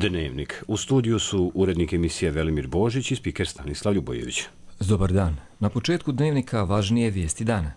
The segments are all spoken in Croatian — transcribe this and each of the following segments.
Dnevnik. U studiju su urednik emisije Velimir Božić i spiker Stanislav Ljubojević. Dobar dan. Na početku Dnevnika važnije vijesti dana.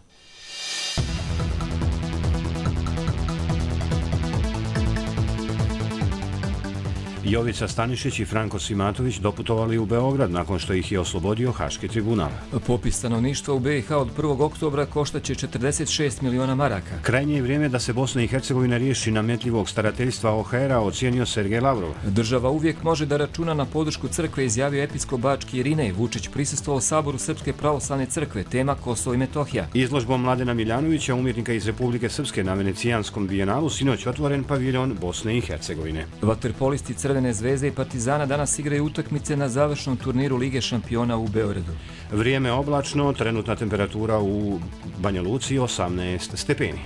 Jovica Stanišić i Franko Simatović doputovali u Beograd nakon što ih je oslobodio Haški tribunal. Popis stanovništva u BiH od 1. oktobra koštaće 46 miliona maraka. Krajnje je vrijeme da se Bosna i Hercegovina riješi nametljivog starateljstva OHR-a, ocijenio Sergej Lavrov. Država uvijek može da računa na podršku crkve, izjavio episkop bački Irinej. Vučić prisustvovao Saboru Srpske pravoslavne crkve, tema Kosovo i Metohija. Izložbom Mladena Miljanovića, umjetnika iz Republike Srpske, na Venecijanskom bijenalu sinoć otvoren paviljon Bosne i Hercegovine. Vaterpolisti Crvene zvezde i Partizana danas igraju utakmice na završnom turniru Lige šampiona u Beogradu. Vrijeme oblačno, trenutna temperatura u Banja Luci 18 stepeni.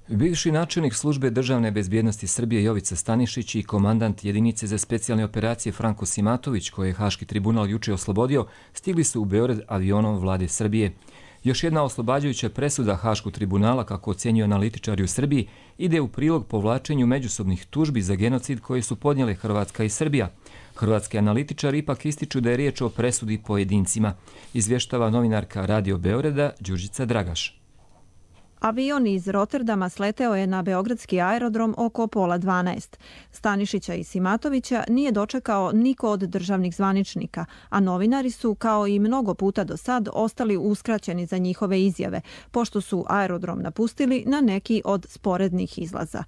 Bivši načelnik službe državne bezbjednosti Srbije Jovica Stanišić i komandant jedinice za specijalne operacije Franko Simatović, koje je Haški tribunal juče oslobodio, stigli su u Beograd avionom vlade Srbije. Još jedna oslobađajuća presuda Haškog tribunala, kako ocjenjuju analitičari u Srbiji, ide u prilog povlačenju međusobnih tužbi za genocid koje su podnijele Hrvatska i Srbija. Hrvatski analitičari ipak ističu da je riječ o presudi pojedincima, izvještava novinarka Radio Beograda Đurđica Dragaš. Avion iz Rotterdama sleteo je na beogradski aerodrom oko 11:30. Stanišića i Simatovića nije dočekao niko od državnih zvaničnika, a novinari su, kao i mnogo puta do sad, ostali uskraćeni za njihove izjave, pošto su aerodrom napustili na neki od sporednih izlaza.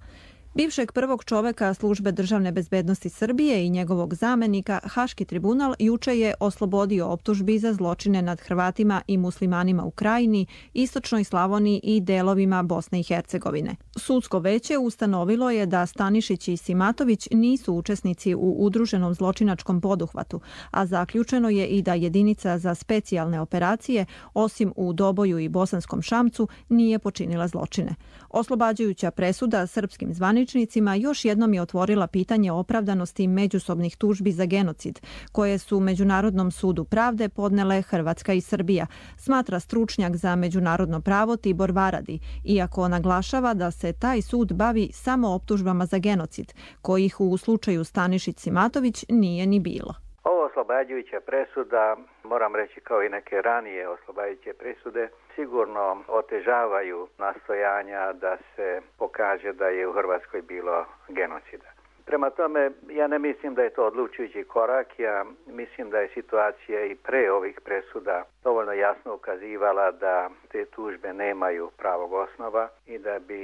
Bivšeg prvog čoveka službe državne bezbednosti Srbije i njegovog zamenika Haški tribunal juče je oslobodio optužbi za zločine nad Hrvatima i muslimanima u Krajini, Istočnoj Slavoniji i delovima Bosne i Hercegovine. Sudsko veće ustanovilo je da Stanišić i Simatović nisu učesnici u udruženom zločinačkom poduhvatu, a zaključeno je i da jedinica za specijalne operacije, osim u Doboju i Bosanskom Šamcu, nije počinila zločine. Oslobađajuća presuda srpskim zvaničnicima još jednom je otvorila pitanje opravdanosti međusobnih tužbi za genocid, koje su Međunarodnom sudu pravde podnele Hrvatska i Srbija, smatra stručnjak za međunarodno pravo Tibor Varadi, iako naglašava da se taj sud bavi samo optužbama za genocid, kojih u slučaju Stanišić-Simatović nije ni bilo. Ovo oslobađajuća presuda, moram reći kao i neke ranije oslobađajuće presude, sigurno otežavaju nastojanja da se pokaže da je u Hrvatskoj bilo genocida. Prema tome, ja ne mislim da je to odlučujući korak, ja mislim da je situacija i pre ovih presuda dovoljno jasno ukazivala da te tužbe nemaju pravog osnova i da bi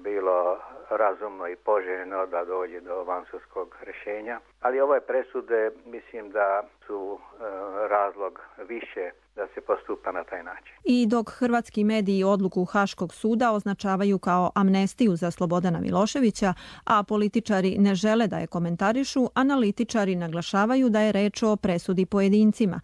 bilo razumno i poželjno da dođe do vansudskog rješenja. Ali ove presude mislim da su razlog više da se postupa na taj način. I dok hrvatski mediji odluku Haškog suda označavaju kao amnestiju za Slobodana Miloševića, a političari ne žele da je komentarišu, analitičari naglašavaju da je reč o presudi pojedincima.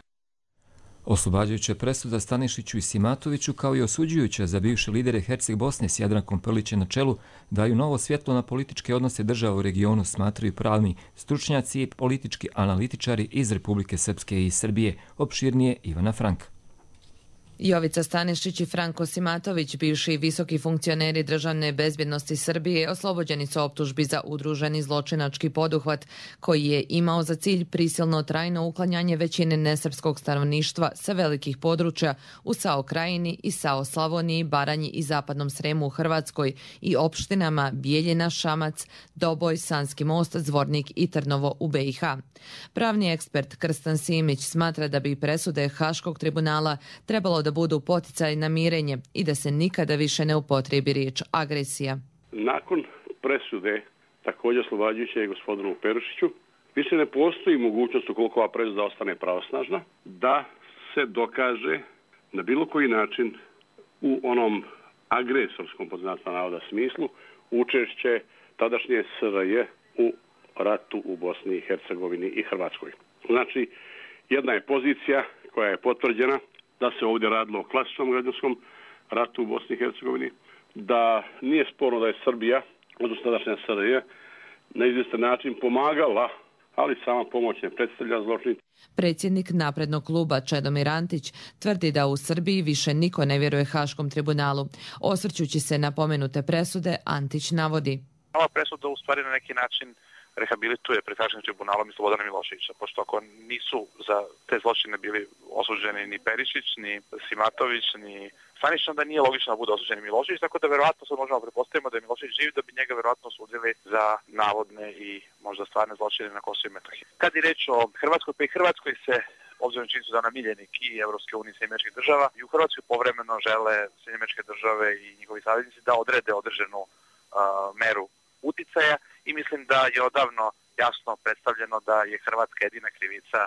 Oslobađajuća presuda Stanišiću i Simatoviću, kao i osuđujuća za bivše lidere Herceg Bosne s Jadrankom Prlićem na čelu, daju novo svjetlo na političke odnose država u regionu, smatraju pravni stručnjaci i politički analitičari iz Republike Srpske i Srbije. Opširnije Ivana Frank. Jovica Stanišić i Franko Simatović, bivši visoki funkcioneri državne bezbjednosti Srbije, oslobođeni su optužbi za udruženi zločinački poduhvat koji je imao za cilj prisilno trajno uklanjanje većine nesrpskog stanovništva sa velikih područja u SAO Krajini i SAO Slavoniji, Baranji i Zapadnom Sremu u Hrvatskoj i opštinama Bijeljina, Šamac, Doboj, Sanski Most, Zvornik i Trnovo u BiH. Pravni ekspert Krstan Simić smatra da bi presude Haškog tribunala trebalo da budu poticaj na mirenje i da se nikada više ne upotrebi riječ agresija. Nakon presude, također oslobađajuće gospodinu Perušiću, više ne postoji mogućnost, ukoliko ova presuda ostane pravosnažna, da se dokaže na bilo koji način u onom agresorskom, pod znacima navoda, smislu učešće tadašnje SRJ u ratu u Bosni i Hercegovini i Hrvatskoj. Znači, jedna je pozicija koja je potvrđena da se ovdje radilo o klasičnom građanskom ratu u Bosni i Hercegovini, da nije sporno da je Srbija, odnosno tadašnja SRJ, na izvjestan način pomagala ali sama pomoć ne predstavlja zločin. Predsjednik naprednog kluba Čedomir Antić tvrdi da u Srbiji više niko ne vjeruje Haškom tribunalu. Osvrćući se na pomenute presude, Antić navodi: ova presuda u stvari na neki način rehabilituje pred Haškim tribunalom i Slobodana Miloševića, pošto ako nisu za te zločine bili osuđeni ni Perišić, ni Simatović, ni Stanišić, onda nije logično da bude osuđen Milošević, tako da verovatno sad možemo pretpostaviti da je Milošević živ, da bi njega verovatno osudili za navodne i možda stvarne zločine na Kosovu i Metohiji. Kad je reč o Hrvatskoj, pa i Hrvatskoj se, obzirom činjenicu da ona miljenik i Evropske unije i Sjedinjenih Američkih Država, i u Hrvatskoj povremeno žele Sjedinjene Američke Države i njihovi saveznici da odrede određenu meru uticaja i mislim da je odavno jasno predstavljeno da je Hrvatska jedina krivica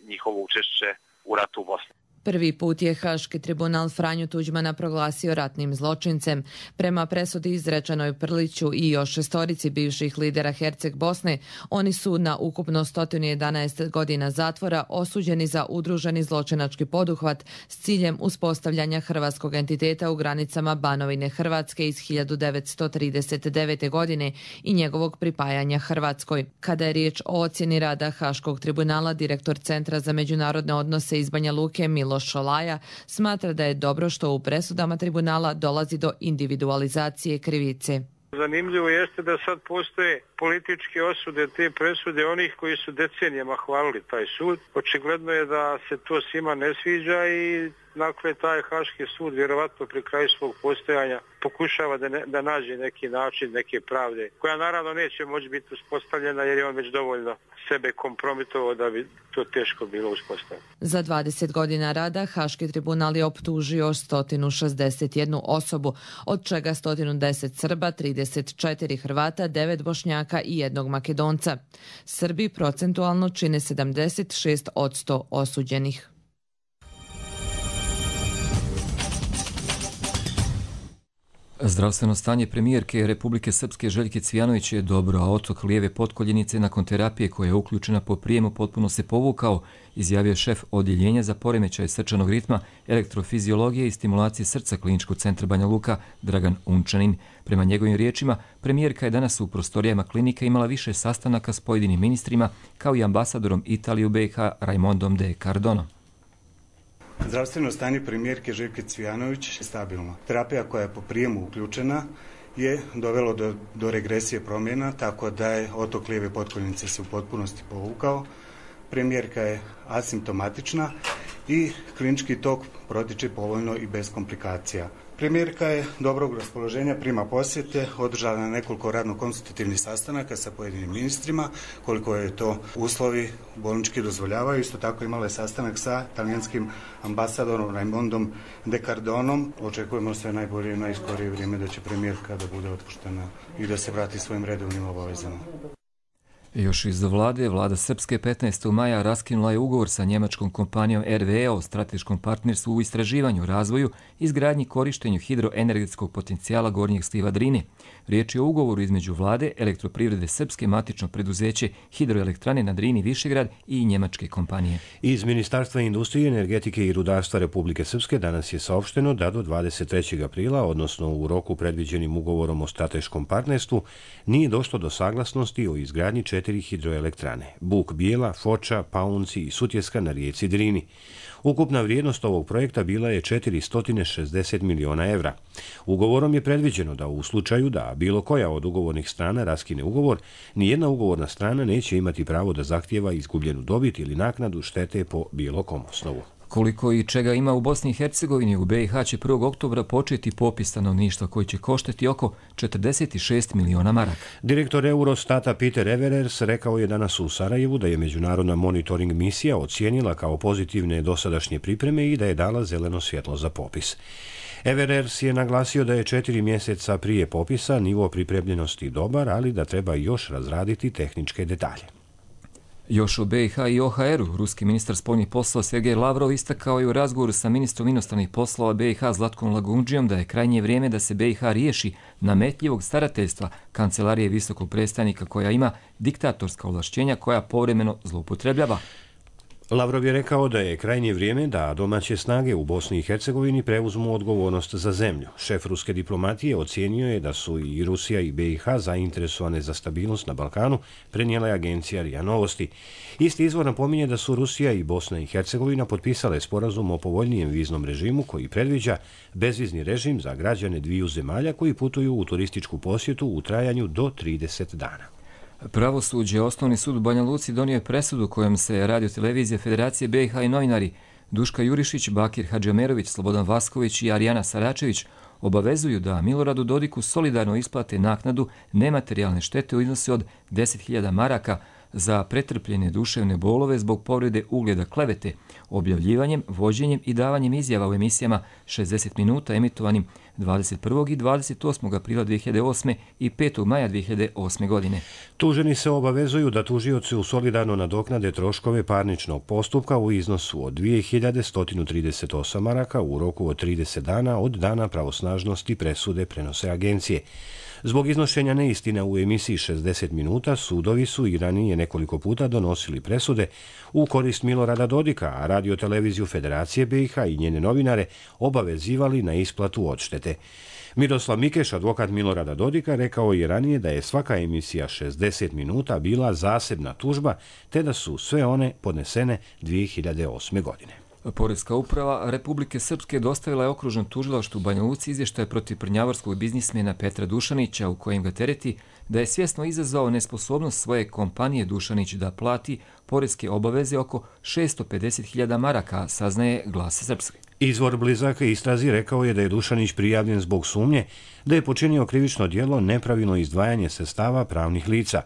njihovo učešće u ratu u Bosni. Prvi put je Haški tribunal Franju Tuđmana proglasio ratnim zločincem. Prema presudi izrečenoj Prliću i još 6 bivših lidera Herceg Bosne, oni su na ukupno 111 godina zatvora osuđeni za udruženi zločinački poduhvat s ciljem uspostavljanja hrvatskog entiteta u granicama Banovine Hrvatske iz 1939. godine i njegovog pripajanja Hrvatskoj. Kada je riječ o ocjeni rada Haškog tribunala, direktor Centra za međunarodne odnose iz Banja Luke Miloš Šolaja smatra da je dobro što u presudama tribunala dolazi do individualizacije krivice. Zanimljivo jeste da sad postoje političke osude te presude onih koji su decenijama hvalili taj sud. Očigledno je da se to svima ne sviđa i dakle taj Haški sud vjerovatno pri kraju svog postojanja pokušava da nađe neki način, neke pravde, koja naravno neće moći biti uspostavljena jer je on već dovoljno sebe kompromitovao da bi to teško bilo uspostaviti. Za 20 godina rada Haški tribunal je optužio 161 osobu, od čega 110 Srba, 34 Hrvata, 9 Bošnjaka i 1 Makedonca. Srbi procentualno čine 76% osuđenih. Zdravstveno stanje premijerke Republike Srpske Željke Cvijanović je dobro, a otok lijeve potkoljenice nakon terapije koja je uključena po prijemu potpuno se povukao, izjavio šef odjeljenja za poremećaj srčanog ritma, elektrofiziologije i stimulacije srca Kliničkog centra Banja Luka Dragan Unčanin. Prema njegovim riječima, premijerka je danas u prostorijama klinike imala više sastanaka s pojedinim ministrima, kao i ambasadorom Italije u BiH Raimondom de Cardonom. Zdravstveno stanje premijerke Željke Cvijanović je stabilno. Terapija koja je po prijemu uključena je dovelo do regresije promjena, tako da je otok lijeve potkoljenice se u potpunosti povukao. Premijerka je asimptomatična i klinički tok protiče povoljno i bez komplikacija. Premijerka je dobrog raspoloženja, prima posjete, održala na nekoliko radno-konstitutivnih sastanaka sa pojedinim ministrima, koliko je to uslovi bolnički dozvoljavaju. Isto tako imala je sastanak sa talijanskim ambasadorom Raimondom de Cardonom. Očekujemo sve najbolje i najskorije vrijeme da će premijerka da bude otpuštena i da se vrati svojim redovnim obavezama. Još iz vlade, vlada Srpske 15. maja raskinula je ugovor sa njemačkom kompanijom RWE o strateškom partnerstvu u istraživanju, razvoju i izgradnji korištenju hidroenergetskog potencijala gornjeg sliva Drine. Riječ je o ugovoru između vlade, Elektroprivrede Srpske, matično preduzeće Hidroelektrane na Drini Višegrad i njemačke kompanije. Iz Ministarstva industrije, energetike i rudarstva Republike Srpske danas je saopšteno da do 23. aprila, odnosno u roku predviđenim ugovorom o strateškom partnerstvu, nije došlo do saglasnosti o izgradnji 4 hidroelektrane: Buk Bijela, Foča, Paunci i Sutjeska na rijeci Drini. Ukupna vrijednost ovog projekta bila je 460 miliona evra. Ugovorom je predviđeno da u slučaju da bilo koja od ugovornih strana raskine ugovor, nijedna ugovorna strana neće imati pravo da zahtijeva izgubljenu dobit ili naknadu štete po bilo kom osnovu. Koliko i čega ima u Bosni i Hercegovini, u BiH će 1. oktobra početi popis stanovništva koji će koštati oko 46 miliona maraka. Direktor Eurostata Peter Everers rekao je danas u Sarajevu da je međunarodna monitoring misija ocijenila kao pozitivne dosadašnje pripreme i da je dala zeleno svjetlo za popis. Everers je naglasio da je 4 mjeseca prije popisa nivo pripremljenosti dobar, ali da treba još razraditi tehničke detalje. Još u BiH i OHR-u, ruski ministar spoljnih poslova Sergej Lavrov istakao je u razgovoru sa ministrom inostranih poslova BiH Zlatkom Lagundžijom da je krajnje vrijeme da se BiH riješi nametljivog starateljstva kancelarije visokog predstavnika koja ima diktatorska ovlašćenja koja povremeno zloupotrebljava. Lavrov je rekao da je krajnje vrijeme da domaće snage u Bosni i Hercegovini preuzmu odgovornost za zemlju. Šef ruske diplomatije ocijenio je da su i Rusija i BiH zainteresovane za stabilnost na Balkanu, prenijela je agencija RIA Novosti. Isti izvor napominje da su Rusija i Bosna i Hercegovina potpisale sporazum o povoljnijem viznom režimu koji predviđa bezvizni režim za građane dviju zemalja koji putuju u turističku posjetu u trajanju do 30 dana. Pravosuđe, Osnovni sud u Banja Luci donio je presudu kojom se Radio-televizija Federacije BiH i novinari Duška Jurišić, Bakir Hadžamerović, Slobodan Vasković i Arijana Saračević obavezuju da Miloradu Dodiku solidarno isplate naknadu nematerijalne štete u iznosu od 10.000 maraka za pretrpljene duševne bolove zbog povrede ugleda klevete, objavljivanjem, vođenjem i davanjem izjava u emisijama 60 minuta emitovanim 21. i 28. aprila 2008. i 5. maja 2008. godine. Tuženi se obavezuju da tužioci solidarno nadoknade troškove parničnog postupka u iznosu od 2.138 maraka u roku od 30 dana od dana pravosnažnosti presude, prenose agencije. Zbog iznošenja neistina u emisiji 60 minuta, sudovi su i ranije nekoliko puta donosili presude u korist Milorada Dodika, a Radio-televiziju Federacije BiH i njene novinare obavezivali na isplatu odštete. Miroslav Mikeš, advokat Milorada Dodika, rekao je ranije da je svaka emisija 60 minuta bila zasebna tužba, te da su sve one podnesene 2008. godine. Poreska uprava Republike Srpske dostavila je okružnom tužilaštvu u Banja Luci izvještaj protiv prnjavorskog biznismena Petra Dušanića u kojem ga tereti da je svjesno izazvao nesposobnost svoje kompanije Dušanić da plati poreske obaveze oko 650.000 maraka, saznaje Glas Srpske. Izvor blizak istrazi rekao je da je Dušanić prijavljen zbog sumnje da je počinio krivično djelo nepravilno izdvajanje sredstava pravnih lica.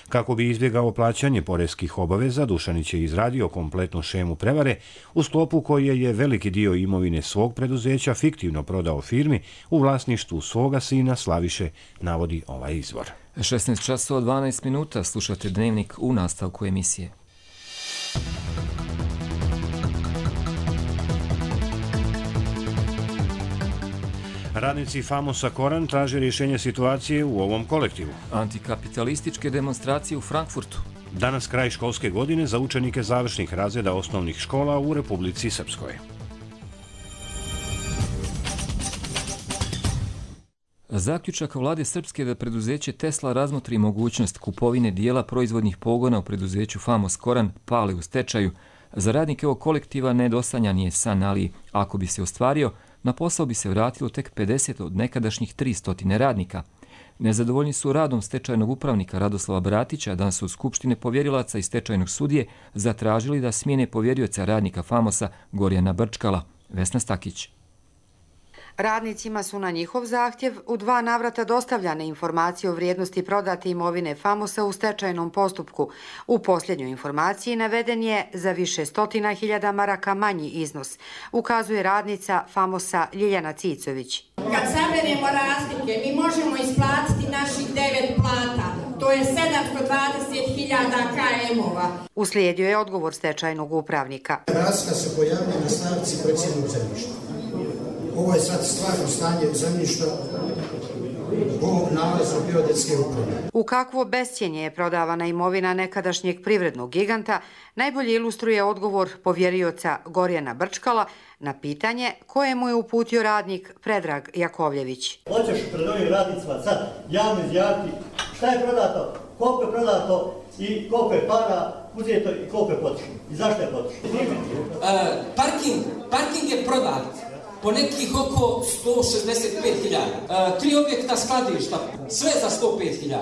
Kako bi izbjegao plaćanje poreskih obaveza, Dušanić je izradio kompletnu šemu prevare u sklopu koje je veliki dio imovine svog preduzeća fiktivno prodao firmi u vlasništvu svoga sina Slaviše, navodi ovaj izvor. 16 časova 12 minuta, slušate Dnevnik u nastavku emisije. Radnici Famosa Koran traže rješenje situacije u ovom kolektivu. Antikapitalističke demonstracije u Frankfurtu. Danas kraj školske godine za učenike završnih razreda osnovnih škola u Republici Srpskoj. Zaključak vlade Srpske da preduzeće Tesla razmotri mogućnost kupovine dijela proizvodnih pogona u preduzeću Famos Koran pale u stečaju. Za radnike ovog kolektiva nedosanjan je san, ali ako bi se ostvario, na posao bi se vratilo tek 50 od nekadašnjih 300 radnika. Nezadovoljni su radom stečajnog upravnika Radoslava Bratića, danas su od Skupštine povjerilaca i stečajnog sudije zatražili da smijene povjerioca radnika Famosa Gorjana Brčkala. Vesna Stakić. Radnicima su na njihov zahtjev u 2 navrata dostavljane informacije o vrijednosti prodate imovine Famosa u stečajnom postupku. U posljednjoj informaciji naveden je za više 100.000 maraka manji iznos, ukazuje radnica Famosa Ljiljana Cicović. Kad saberemo razlike, mi možemo isplatiti naših 9 plata. To je 720.000 KM-ova. Uslijedio je odgovor stečajnog upravnika. Razlika se pojavlja na stavci procjenog zemljišta. Ovo je sad stvarno stanje zemljišta po nalazu geodetske uprave. U kakvo bescijenje je prodavana imovina nekadašnjeg privrednog giganta, najbolje ilustruje odgovor povjerioca Gorjana Brčkala na pitanje koje mu je uputio radnik Predrag Jakovljević. Hoćeš pred ovim radnicima sad javno izjaviti šta je prodato, koliko je prodato i koliko je para uzeto i koliko je potrošeno. I zašto je potrošeno? Parking je prodat po nekih oko 165.000. 3 objekta skladišta, sve za 105.000.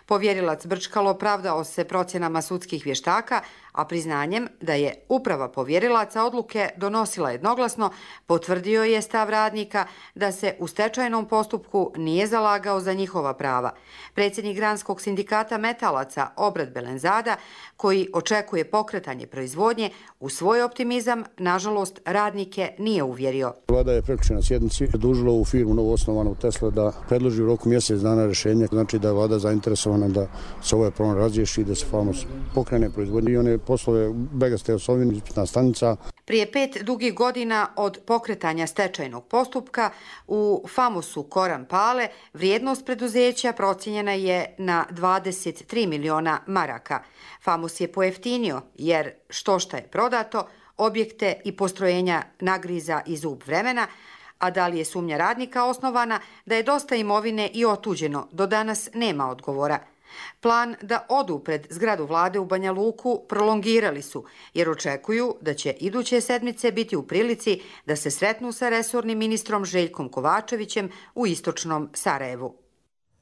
Povjerilac Brčkalo opravdao se procjenama sudskih vještaka, a priznanjem da je uprava povjerilaca odluke donosila jednoglasno, potvrdio je stav radnika da se u stečajnom postupku nije zalagao za njihova prava. Predsjednik Granskog sindikata metalaca Obrad Belenzada, koji očekuje pokretanje proizvodnje, u svoj optimizam, nažalost, radnike nije uvjerio. Vlada je prekjučer na sjednici dužila u firmu novoosnovanu Tesla da predloži u roku mjesec dana rješenje. Znači da je vlada zainteresovana da se ovaj problem razriješi i da se Famos pokrene proizvodnje. I on je poslove Begaste Osovina ispitna stanica. Prije 5 dugih godina od pokretanja stečajnog postupka u Famosu Koran Pale vrijednost preduzeća procijenjena je na 23 miliona maraka. Famos je pojeftinio jer što je prodato, objekte i postrojenja nagriza i zub vremena, a da li je sumnja radnika osnovana da je dosta imovine i otuđeno, do danas nema odgovora. Plan da odu pred zgradu vlade u Banja Luku prolongirali su, jer očekuju da će iduće sedmice biti u prilici da se sretnu sa resornim ministrom Željkom Kovačevićem u istočnom Sarajevu.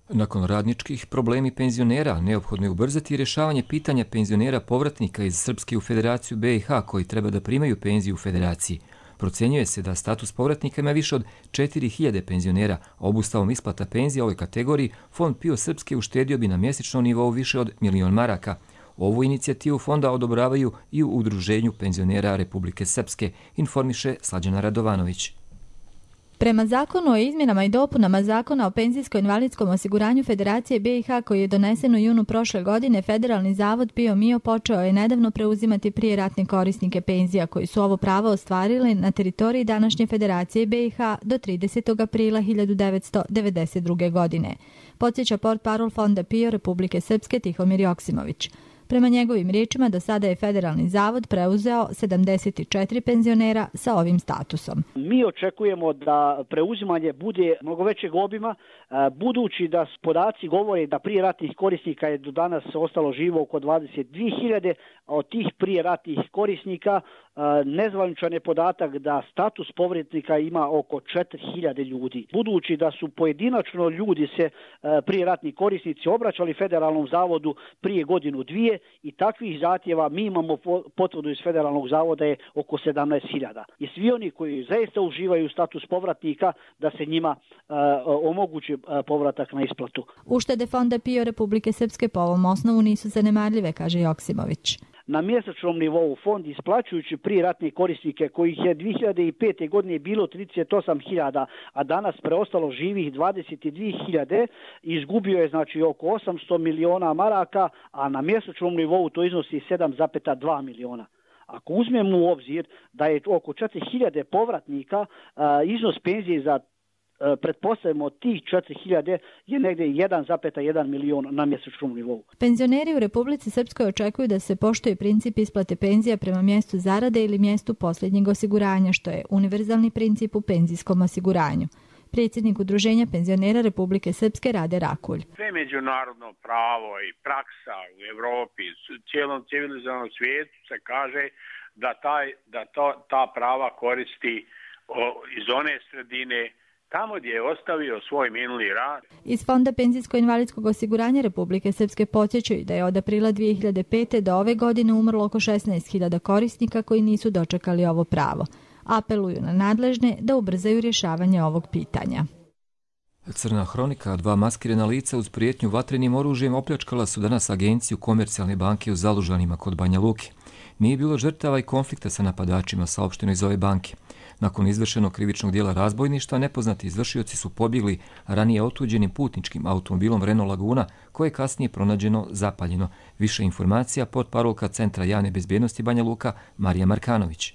Nakon radničkih problemi penzionera, neophodno je ubrzati rješavanje pitanja penzionera povratnika iz Srpske u Federaciju BiH koji treba da primaju penziju u Federaciji. Procjenjuje se da status povratnika ima više od 4000 penzionera. Obustavom isplata penzija ovoj kategoriji, Fond PIO Srpske uštedio bi na mjesečnom nivou više od 1.000.000 maraka. Ovu inicijativu fonda odobravaju i u Udruženju penzionera Republike Srpske, informiše Slađana Radovanović. Prema zakonu o izmjenama i dopunama Zakona o penzijsko-invalidskom osiguranju Federacije BiH koji je donesen u junu prošle godine, Federalni zavod PIO MIO počeo je nedavno preuzimati prijeratne korisnike penzija koji su ovo pravo ostvarili na teritoriji današnje Federacije BiH do 30. aprila 1992. godine. Podsjeća portparol Fonda PIO Republike Srpske Tihomir Joksimović. Prema njegovim riječima, do sada je Federalni zavod preuzeo 74 penzionera sa ovim statusom. Mi očekujemo da preuzimanje bude mnogo većeg obima, budući da podaci govore da prije ratnih korisnika je do danas ostalo živo oko 22.000, a od tih prije ratnih korisnika nezvaničan je podatak da status povratnika ima oko 4.000 ljudi. Budući da su pojedinačno ljudi se prije ratni korisnici obraćali Federalnom zavodu prije godinu dvije i takvih zahtjeva mi imamo potvrdu iz Federalnog zavoda je oko 17.000. I svi oni koji zaista uživaju status povratnika da se njima omogući povratak na isplatu. Uštede Fonda PIO Republike Srpske po ovom osnovu nisu zanemarljive, kaže Joksimović. Na mjesečnom nivou fond isplaćujući prije ratne korisnike kojih je 2005. godine bilo 38.000, a danas preostalo živih 22.000, izgubio je znači oko 800 miliona maraka, a na mjesečnom nivou to iznosi 7,2 miliona. Ako uzmemo u obzir da je oko 4.000 povratnika, iznos penzije za pretpostavimo tih 4.000 je negdje 1,1 milion na mjesečnom nivou. Penzioneri u Republici Srpskoj očekuju da se poštuje princip isplate penzija prema mjestu zarade ili mjestu posljednjeg osiguranja, što je univerzalni princip u penzijskom osiguranju. Predsjednik Udruženja penzionera Republike Srpske Rade Rakulj. Sve međunarodno pravo i praksa u Evropi, cijelom civilizovanom svijetu se kaže da ta prava koristi iz one sredine tamo gdje je ostavio svoj minuli rad. Iz Fonda penzijsko-invalidskog osiguranja Republike Srpske podsjećaju da je od aprila 2005. do ove godine umrlo oko 16.000 korisnika koji nisu dočekali ovo pravo. Apeluju na nadležne da ubrzaju rješavanje ovog pitanja. Crna hronika, 2 maskirana lica uz prijetnju vatrenim oružjem opljačkala su danas agenciju Komercijalne banke u Zalužanima kod Banja Luke. Nije bilo žrtava i konflikta sa napadačima, saopšteno iz ove banke. Nakon izvršenog krivičnog dijela razbojništva, nepoznati izvršioci su pobjegli ranije otuđenim putničkim automobilom Renault Laguna, koje je kasnije pronađeno zapaljeno. Više informacija portparolka Centra javne bezbjednosti Banja Luka Marija Markanović.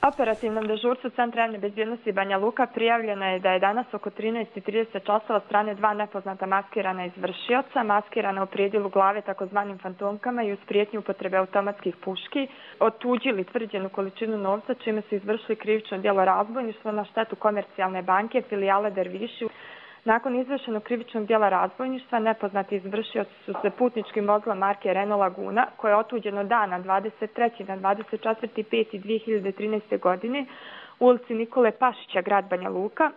Operativnom dežurstvu Centra javne bezbjednosti Banja Luka prijavljeno je da je danas oko 13:30 časova od strane 2 nepoznata maskirana izvršioca, maskirana u prijedjelu glave takozvanim fantomkama i uz prijetnju upotrebe automatskih puški, otuđili tvrđenu količinu novca, čime su izvršili krivično djelo razbojništva na štetu Komercijalne banke, filijale Derviši. Nakon izvršenog krivičnog djela razbojništva, nepoznati izvršioci su se putničkim vozilom marke Renault Laguna, koje je otuđeno dana 23. na 24.5.2013. godine u ulici Nikole Pašića, grad Banja Luka,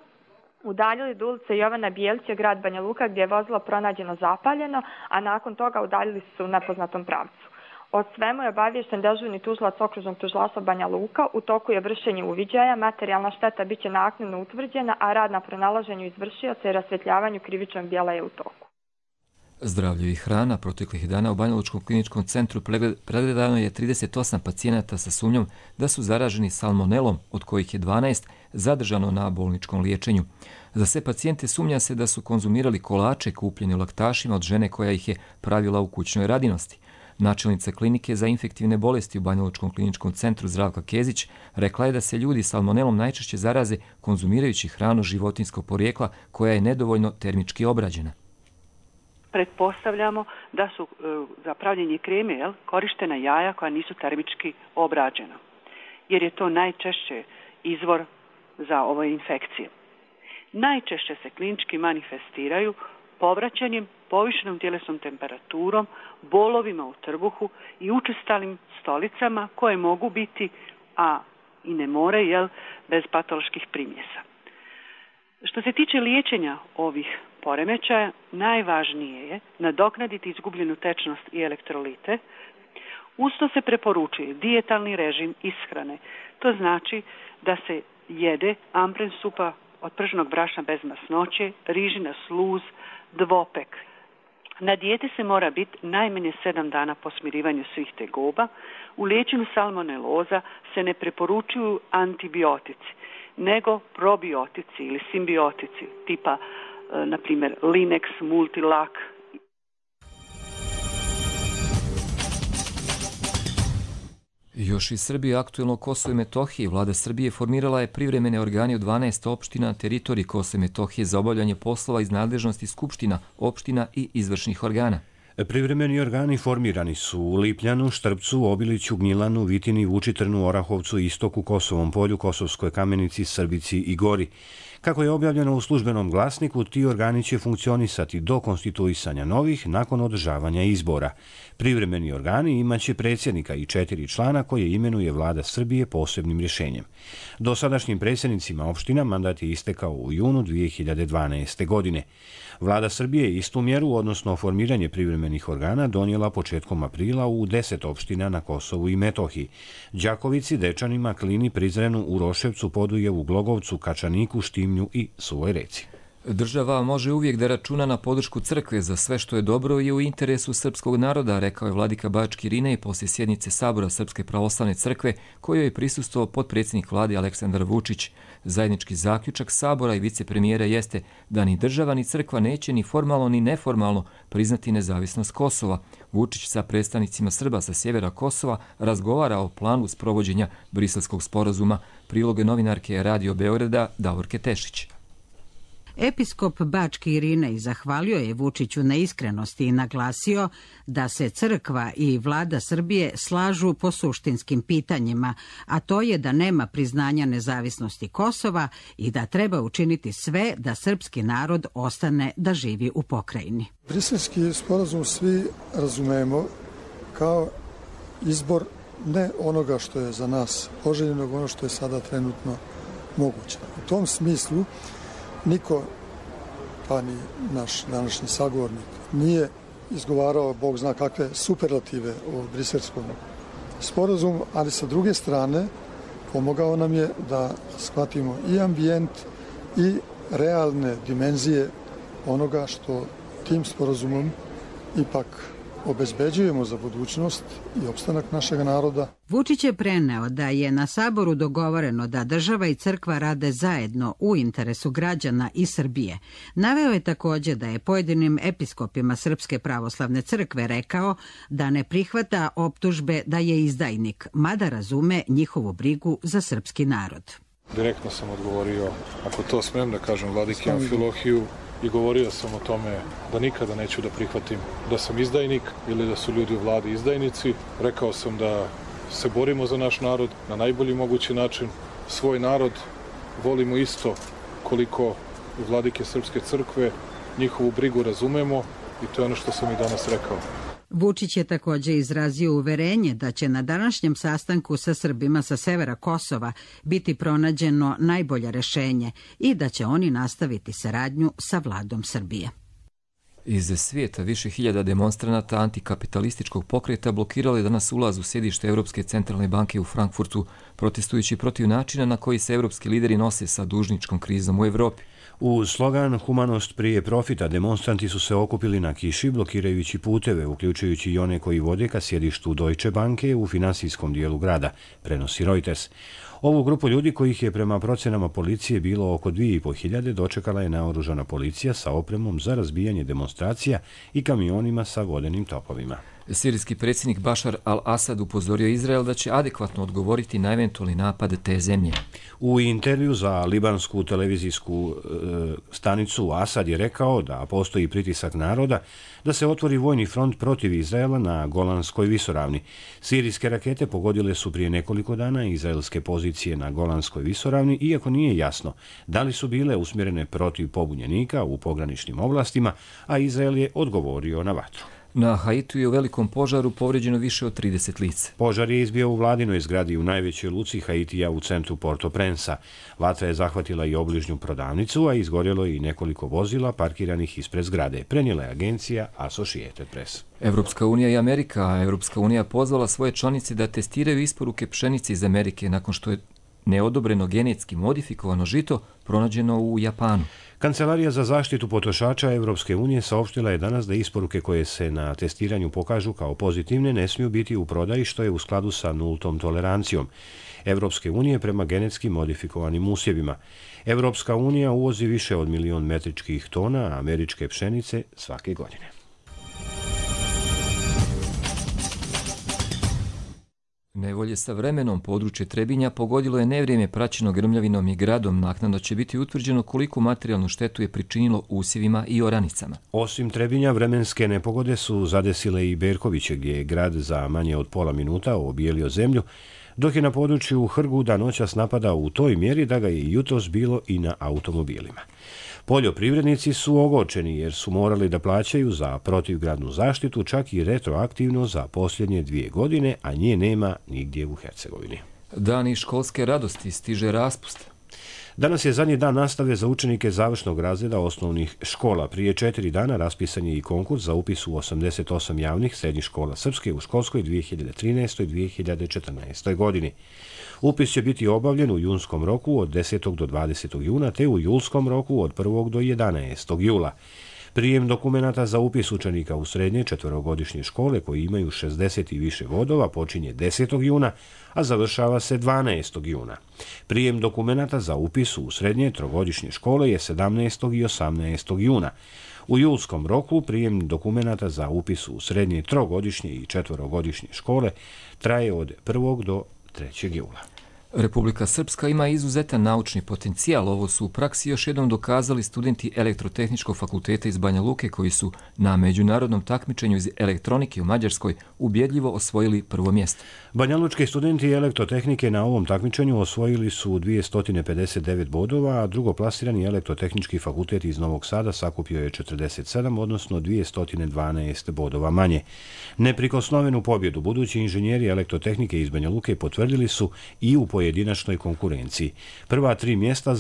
udaljili do ulice Jovana Bijelića, grad Banja Luka, gdje je vozilo pronađeno zapaljeno, a nakon toga udaljili su u nepoznatom pravcu. O svemu je obaviješten dežurni tužilac okružnog tužilaštva Banja Luka. U toku je vršenje uviđaja, materijalna šteta biće naknadno utvrđena, a rad na pronalaženju izvršioca i rasvjetljavanju krivičnog djela je u toku. Zdravlje i hrana. Proteklih dana u Banja Lučkom kliničkom centru pregledano je 38 pacijenata sa sumnjom da su zaraženi salmonelom, od kojih je 12 zadržano na bolničkom liječenju. Za sve pacijente sumnja se da su konzumirali kolače kupljene u laktašima od žene koja ih je pravila u kućnoj radinosti. Načelnica klinike za infektivne bolesti u Banjalučkom kliničkom centru Zdravka Kezić rekla je da se ljudi salmonelom najčešće zaraze konzumirajući hranu životinjskog porijekla koja je nedovoljno termički obrađena. Pretpostavljamo da su za pravljenje kreme korištena jaja koja nisu termički obrađena, jer je to najčešće izvor za ove infekcije. Najčešće se klinički manifestiraju povraćanjem, povišenom tjelesnom temperaturom, bolovima u trbuhu i učestalim stolicama koje mogu biti, a i ne moraju, bez patoloških primjesa. Što se tiče liječenja ovih poremećaja, najvažnije je nadoknaditi izgubljenu tečnost i elektrolite. Usto se preporučuje dijetalni režim ishrane. To znači da se jede ampren supa od prženog brašna bez masnoće, rižina sluz, dvopek. Na dijeti se mora biti najmanje 7 dana po smirivanju svih tegoba. U liječenju salmoneloza se ne preporučuju antibiotici, nego probiotici ili simbiotici tipa, na primjer, Linex, Multilak. Još iz Srbije aktuelno Kosovo i Metohije, vlada Srbije formirala je privremene organe u 12 opština na teritoriji Kosova i Metohije za obavljanje poslova iz nadležnosti skupština, opština i izvršnih organa. Privremeni organi formirani su u Lipljanu, Štrpcu, Obiliću, Gnjilanu, Vitini, Vučitrnu, Orahovcu, Istoku, Kosovom polju, Kosovskoj Kamenici, Srbici i Gori. Kako je objavljeno u službenom glasniku, ti organi će funkcionisati do konstituisanja novih nakon održavanja izbora. Privremeni organi imaće predsjednika i 4 člana koje imenuje vlada Srbije posebnim rješenjem. Dosadašnjim predsjednicima opština mandat je istekao u junu 2012. godine. Vlada Srbije je istu mjeru, odnosno formiranje privremenih organa, donijela početkom aprila u 10 opština na Kosovu i Metohiji: Đakovici, Dečanima, Klini, Prizrenu, Uroševcu, Podujevu, Glogovcu, Kačaniku, Štimnju i Suvoj Reci. Država može uvijek da računa na podršku crkve za sve što je dobro i u interesu srpskog naroda, rekao je vladika Bački Irinej poslije sjednice Sabora Srpske pravoslavne crkve kojoj je prisustvovao potpredsjednik vlade Aleksandar Vučić. Zajednički zaključak Sabora i vicepremijera jeste da ni država ni crkva neće ni formalno ni neformalno priznati nezavisnost Kosova. Vučić sa predstavnicima Srba sa sjevera Kosova razgovara o planu sprovođenja Briselskog sporazuma. Priloge novinarke Radio Beograda Davorke Tešić. Episkop Bački Irinej zahvalio je Vučiću na iskrenosti i naglasio da se crkva i vlada Srbije slažu po suštinskim pitanjima, a to je da nema priznanja nezavisnosti Kosova i da treba učiniti sve da srpski narod ostane da živi u pokrajini. Briselski sporazum svi razumemo kao izbor ne onoga što je za nas poželjeno, ono što je sada trenutno moguće. U tom smislu niko, pa ni naš današnji sagovornik, nije izgovarao Bog zna kakve superlative o briselskom sporazumu, ali sa druge strane pomogao nam je da shvatimo i ambijent i realne dimenzije onoga što tim sporazumom ipak obezbeđujemo za budućnost i opstanak našeg naroda. Vučić je preneo da je na Saboru dogovoreno da država i crkva rade zajedno u interesu građana i Srbije. Naveo je također da je pojedinim episkopima Srpske pravoslavne crkve rekao da ne prihvata optužbe da je izdajnik, mada razume njihovu brigu za srpski narod. Direktno sam odgovorio, ako to smem da kažem, vladiki Amfilohiju, i govorio sam o tome da nikada neću da prihvatim da sam izdajnik ili da su ljudi u vladi izdajnici. Rekao sam da se borimo za naš narod na najbolji mogući način. Svoj narod volimo isto koliko i vladike Srpske crkve, njihovu brigu razumemo i to je ono što sam i danas rekao. Vučić je također izrazio uverenje da će na današnjem sastanku sa Srbima sa severa Kosova biti pronađeno najbolje rješenje i da će oni nastaviti saradnju sa vladom Srbije. Iz svijeta više hiljada demonstranata antikapitalističkog pokreta blokiralo je danas ulaz u sjedište Europske centralne banke u Frankfurtu, protestujući protiv načina na koji se europski lideri nose sa dužničkom krizom u Evropi. U slogan Humanost prije profita demonstranti su se okupili na kiši blokirajući puteve, uključujući i one koji vode ka sjedištu Deutsche Banke u finansijskom dijelu grada, prenosi Reuters. Ovu grupu ljudi, kojih je prema procenama policije bilo oko 2500, dočekala je naoružana policija sa opremom za razbijanje demonstracija i kamionima sa vodenim topovima. Sirijski predsjednik Bašar al-Asad upozorio Izrael da će adekvatno odgovoriti na eventualni napad te zemlje. U intervju za libansku televizijsku stanicu Asad je rekao da postoji pritisak naroda da se otvori vojni front protiv Izraela na Golanskoj visoravni. Sirijske rakete pogodile su prije nekoliko dana izraelske pozicije na Golanskoj visoravni, iako nije jasno da li su bile usmjerene protiv pobunjenika u pograničnim oblastima, a Izrael je odgovorio na vatru. Na Haitiju je u velikom požaru povrijeđeno više od 30 lica. Požar je izbio u vladinoj zgradi u najvećoj luci Haitija u centru Port-au-Prince-a. Vatra je zahvatila i obližnju prodavnicu, a izgorjelo je i nekoliko vozila parkiranih ispred zgrade, prenijela je agencija Associated Press. Evropska unija i Amerika. Evropska unija pozvala svoje članice da testiraju isporuke pšenice iz Amerike nakon što je neodobreno genetski modifikovano žito pronađeno u Japanu. Kancelarija za zaštitu potrošača Evropske unije saopštila je danas da isporuke koje se na testiranju pokažu kao pozitivne ne smiju biti u prodaji, što je u skladu sa nultom tolerancijom Evropske unije prema genetski modifikovanim usjevima. Evropska unija uvozi više od 1 milion metričkih tona američke pšenice svake godine. Nevolje sa vremenom područje Trebinja pogodilo je nevrijeme praćeno grmljavinom i gradom. Naknadno će biti utvrđeno koliko materijalnu štetu je pričinilo usjevima i oranicama. Osim Trebinja, vremenske nepogode su zadesile i Berkoviće, gdje je grad za manje od pola minuta obijelio zemlju, dok je na području Hrguda noćas napadao u toj mjeri da ga je jutros bilo i na automobilima. Poljoprivrednici su ogorčeni jer su morali da plaćaju za protivgradnu zaštitu čak i retroaktivno za posljednje 2 godine, a nje nema nigdje u Hercegovini. Dani školske radosti, stiže raspust. Danas je zadnji dan nastave za učenike završnog razreda osnovnih škola. Prije 4 dana raspisan je i konkurs za upis u 88 javnih srednjih škola Srpske u školskoj 2013-2014. godini. Upis će biti obavljen u junskom roku od 10. do 20. juna te u julskom roku od 1. do 11. jula. Prijem dokumenata za upis učenika u srednje 4-godišnje škole koji imaju 60 i više bodova počinje 10. juna, a završava se 12. juna. Prijem dokumenata za upis u srednje 3-godišnje škole je 17. i 18. juna. U julskom roku prijem dokumenata za upis u srednje 3-godišnje i 4-godišnje škole traje od 1. do 3. jula. Republika Srpska ima izuzetan naučni potencijal. Ovo su u praksi još jednom dokazali studenti Elektrotehničkog fakulteta iz Banja Luke koji su na međunarodnom takmičenju iz elektronike u Mađarskoj ubjedljivo osvojili prvo mjesto. Banjalučki studenti elektrotehnike na ovom takmičenju osvojili su 259 bodova, a drugoplasirani Elektrotehnički fakultet iz Novog Sada sakupio je 47, odnosno 212 bodova manje. Neprikosnovenu pobjedu budući inženjeri elektrotehnike iz Banja Luke potvrdili su i u pojedinačnoj konkurenciji. Prva 3 mjesta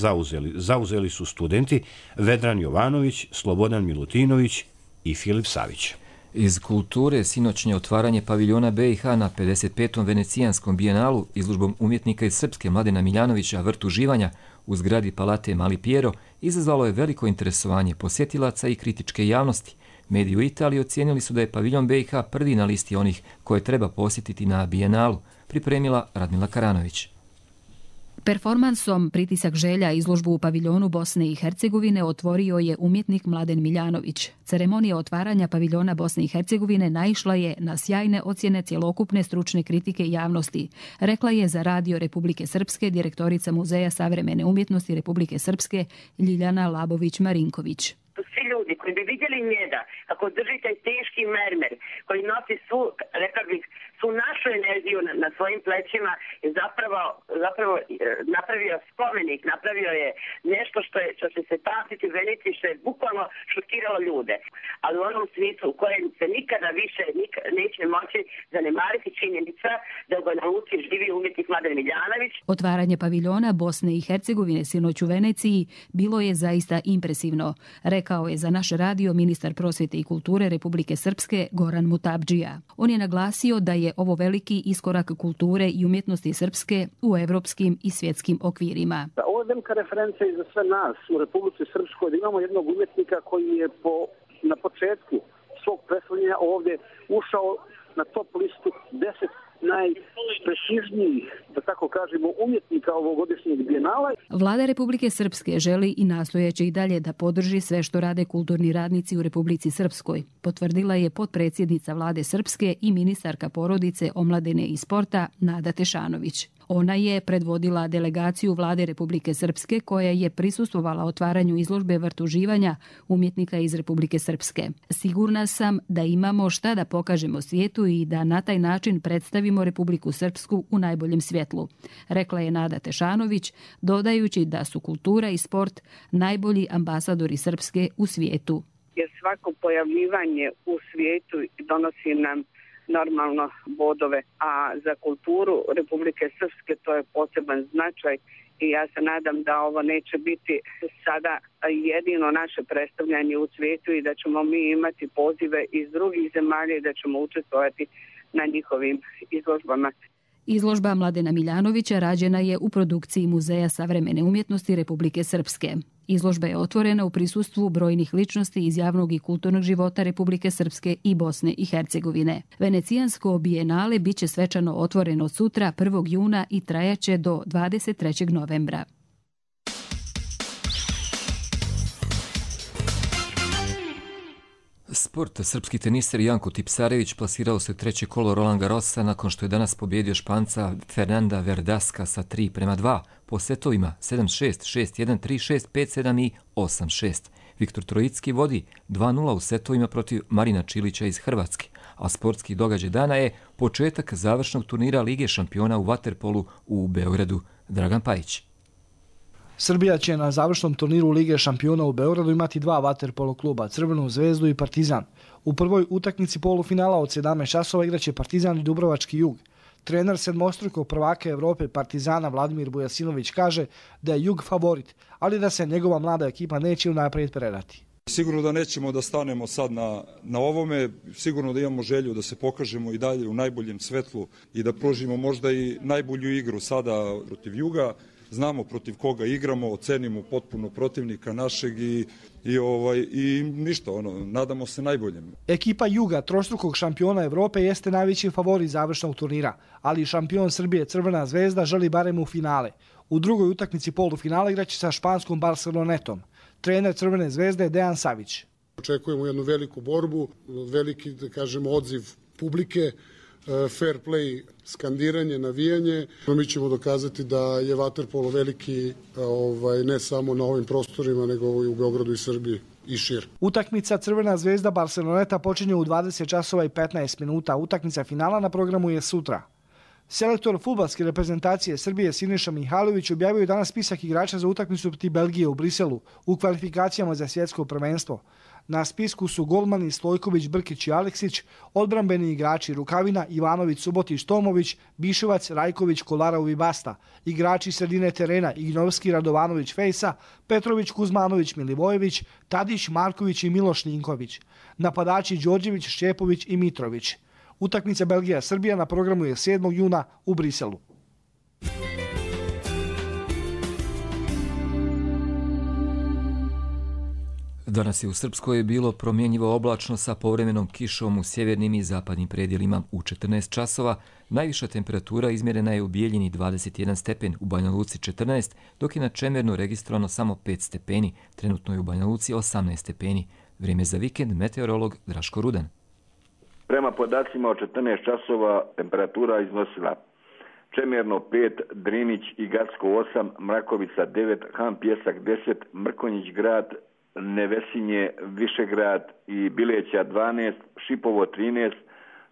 zauzeli su studenti Vedran Jovanović, Slobodan Milutinović i Filip Savić. Iz kulture sinoćnje otvaranje paviljona BiH na 55. venecijanskom bijenalu izložbom umjetnika iz Srpske Mladena Miljanovića Vrt uživanja u zgradi Palate Mali Piero izazvalo je veliko interesovanje posjetilaca i kritičke javnosti. Mediji u Italiji ocijenili su da je paviljon BiH prvi na listi onih koje treba posjetiti na bijenalu, pripremila Radmila Karanović. Performansom Pritisak želja izložbu u paviljonu Bosne i Hercegovine otvorio je umjetnik Mladen Miljanović. Ceremonija otvaranja paviljona Bosne i Hercegovine naišla je na sjajne ocjene cjelokupne stručne kritike javnosti, rekla je za Radio Republike Srpske direktorica Muzeja savremene umjetnosti Republike Srpske Ljiljana Labović-Marinković. Svi ljudi koji bi vidjeli njega, kako drži taj teški mermer, koji nosi svu, rekao bih, svu našu energiju na svojim plećima, je zapravo napravio spomenik, napravio je nešto što će se pamtiti u Veneciji, što je bukvalno šokiralo ljude. Ali u onom smislu u kojem se nikada više neće moći zanemariti činjenica da u Banja Luci živi umjetnik Mladen Miljanović. Otvaranje paviljona Bosne i Hercegovine sinoć u Veneciji bilo je zaista impresivno, rekao je za naš radio ministar prosvjete i kulture Republike Srpske Goran Mutabdžija. On je naglasio da je ovo veliki iskorak kulture i umjetnosti srpske u evropskim i svjetskim okvirima. Ovo je velika referenca i za sve nas u Republici Srpskoj da imamo jednog umjetnika koji je na početku svog predstavljanja ovdje ušao na top listu 10 najprestižnijih, da tako kažemo, umjetnika ovogodišnjeg bijenala. Vlada Republike Srpske želi i nastojeće i dalje da podrži sve što rade kulturni radnici u Republici Srpskoj, potvrdila je potpredsjednica Vlade Srpske i ministarka porodice, omladine i sporta Nada Tešanović. Ona je predvodila delegaciju Vlade Republike Srpske koja je prisustvovala otvaranju izložbe vrtuživanja umjetnika iz Republike Srpske. Sigurna sam da imamo šta da pokažemo svijetu i da na taj način predstavimo Republiku Srpsku u najboljem svjetlu, rekla je Nada Tešanović, dodajući da su kultura i sport najbolji ambasadori Srpske u svijetu. Jer svako pojavljivanje u svijetu donosi nam normalno bodove, a za kulturu Republike Srpske to je poseban značaj i ja se nadam da ovo neće biti sada jedino naše predstavljanje u svijetu i da ćemo mi imati pozive iz drugih zemalja i da ćemo učestvovati na njihovim izložbama. Izložba Mladena Miljanovića rađena je u produkciji Muzeja savremene umjetnosti Republike Srpske. Izložba je otvorena u prisustvu brojnih ličnosti iz javnog i kulturnog života Republike Srpske i Bosne i Hercegovine. Venecijansko bijenale biće svečano otvoreno sutra 1. juna i trajaće do 23. novembra. Sport. Srpski teniser Janko Tipsarević plasirao se u treće kolo Roland Garrosa nakon što je danas pobjedio Španca Fernanda Verdaska sa 3-2 po setovima 7-6, 6-1, 3-6, 5-7 i 8-6. Viktor Trojicki vodi 2-0 u setovima protiv Marina Čilića iz Hrvatske, a sportski događaj dana je početak završnog turnira Lige šampiona u vaterpolu u Beogradu. Dragan Pajić. Srbija će na završnom turniru Lige šampiona u Beogradu imati 2 vaterpolo kluba, Crvenu zvezdu i Partizan. U prvoj utakmici polufinala od 17 časova igraće Partizan i Dubrovački Jug. Trener sedmostrukog prvaka Evrope Partizana Vladimir Bujasinović kaže da je Jug favorit, ali da se njegova mlada ekipa neće unaprijed predati. Sigurno da nećemo da stanemo sad na ovome, sigurno da imamo želju da se pokažemo i dalje u najboljem svetlu i da pružimo možda i najbolju igru sada protiv Juga. Znamo protiv koga igramo, ocenimo potpuno protivnika našeg i ništa, nadamo se najboljem. Ekipa Juga, trostrukog šampiona Evrope, jeste najveći favorit završnog turnira, ali šampion Srbije Crvena zvezda želi barem u finale. U drugoj utakmici polufinala igraće sa španskom Barcelonetom. Trener Crvene zvezde je Dejan Savić. Očekujemo jednu veliku borbu, veliki, da kažemo, odziv publike, fair play, skandiranje, navijanje. Mi ćemo dokazati da je vaterpolo veliki ne samo na ovim prostorima, nego i u Beogradu i Srbiji i šir. Utakmica Crvena zvezda Barceloneta počinje u 20 časova i 15 minuta. Utakmica finala na programu je sutra. Selektor fudbalske reprezentacije Srbije Siniša Mihajlović objavio je danas spisak igrača za utakmicu protiv Belgije u Briselu u kvalifikacijama za svjetsko prvenstvo. Na spisku su golmani Stojković, Brkić i Aleksić, odbrambeni igrači Rukavina, Ivanović, Subotić, Tomović, Biševac, Rajković, Kolarov i Basta, igrači sredine terena Ignovski, Radovanović, Fejsa, Petrović, Kuzmanović, Milivojević, Tadić, Marković i Miloš Ninković, napadači Đorđević, Šćepović i Mitrović. Utakmica Belgija-Srbija na programu je 7. juna u Briselu. Danas je u Srpskoj bilo promjenjivo oblačno sa povremenom kišom u sjevernim i zapadnim predjelima u 14 časova. Najviša temperatura izmjerena je u Bijeljini 21 stepen, u Banja Luci 14, dok je na Čemernu registrovano samo 5 stepeni. Trenutno je u Banja Luci 18 stepeni. Vrijeme za vikend, meteorolog Draško Rudan. Prema podacima od 14 časova temperatura iznosila Čemerno 5, Drinić i Gacko 8, Mrakovica 9, Han Pjesak 10, Mrkonjić grad, Nevesinje, Višegrad i Bileća 12, Šipovo 13,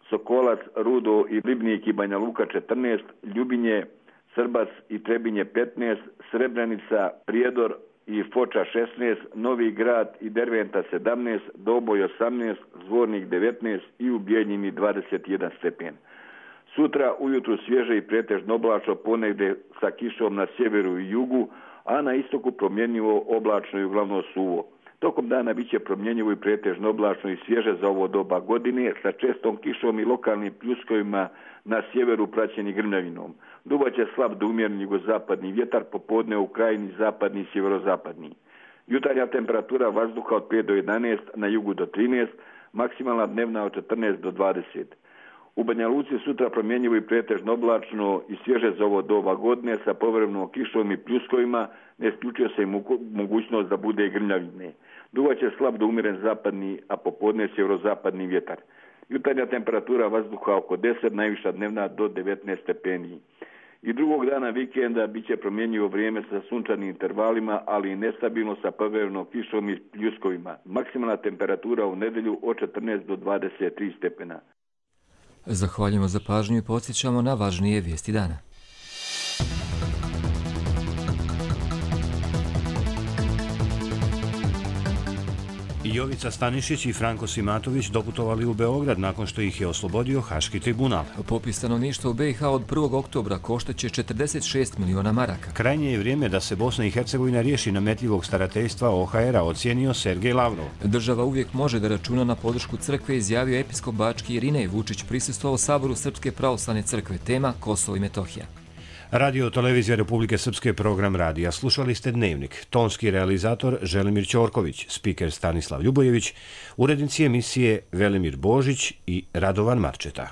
Sokolac, Rudo i Ribnik i Banja Luka 14, Ljubinje, Srbac i Trebinje 15, Srebrenica, Prijedor i Foča 16, Novi Grad i Derventa 17, Doboj 18, Zvornik 19 i u Bijeljini 21 stepen. Sutra ujutru svježe i pretežno oblačno, ponegde sa kišom na sjeveru i jugu, a na istoku promjenjivo oblačno i uglavnom suvo. Tokom dana bit će promjenjivo i pretežno oblačno i svježe za ovo doba godine sa čestom kišom i lokalnim pljuskovima na sjeveru praćeni grmljavinom. Duvaće slab do umjereni jugozapadni vjetar, popodne u krajini zapadni i sjeverozapadni. Jutarnja temperatura vazduha od 5 do 11, na jugu do 13, maksimalna dnevna od 14 do 20. U Banja Luci sutra promjenjivo i pretežno oblačno i svježe za ovo doba godine sa povremenom kišom i pljuskovima, ne isključuje se i mogućnost da bude i grmljavine. Duvaće slab do umjeren zapadni, a popodne sjeverozapadni vjetar. Jutarnja temperatura vazduha oko 10, najviša dnevna do 19 stepeni. I drugog dana vikenda bit će promjenjivo vrijeme sa sunčanim intervalima, ali i nestabilno sa povremenom kišom i pljuskovima. Maksimalna temperatura u nedjelju od 14 do 23 stepena. Zahvaljujemo za pažnju i podsjećamo na važnije vijesti dana. Jovica Stanišić i Franko Simatović doputovali u Beograd nakon što ih je oslobodio Haški tribunal. Popis stanovništva u BiH od 1. oktobra koštaće 46 miliona maraka. Krajnje je vrijeme da se Bosna i Hercegovina riješi nametljivog starateljstva OHR-a, ocijenio Sergej Lavrov. Država uvijek može da računa na podršku crkve, izjavio episkop Bački Irinej. Vučić prisustvovao Saboru Srpske pravoslavne crkve, tema Kosovo i Metohija. Radio Televizija Republike Srpske, program radija. Slušali ste Dnevnik. Tonski realizator Želimir Ćorković, spiker Stanislav Ljubojević, urednici emisije Velimir Božić i Radovan Marčeta.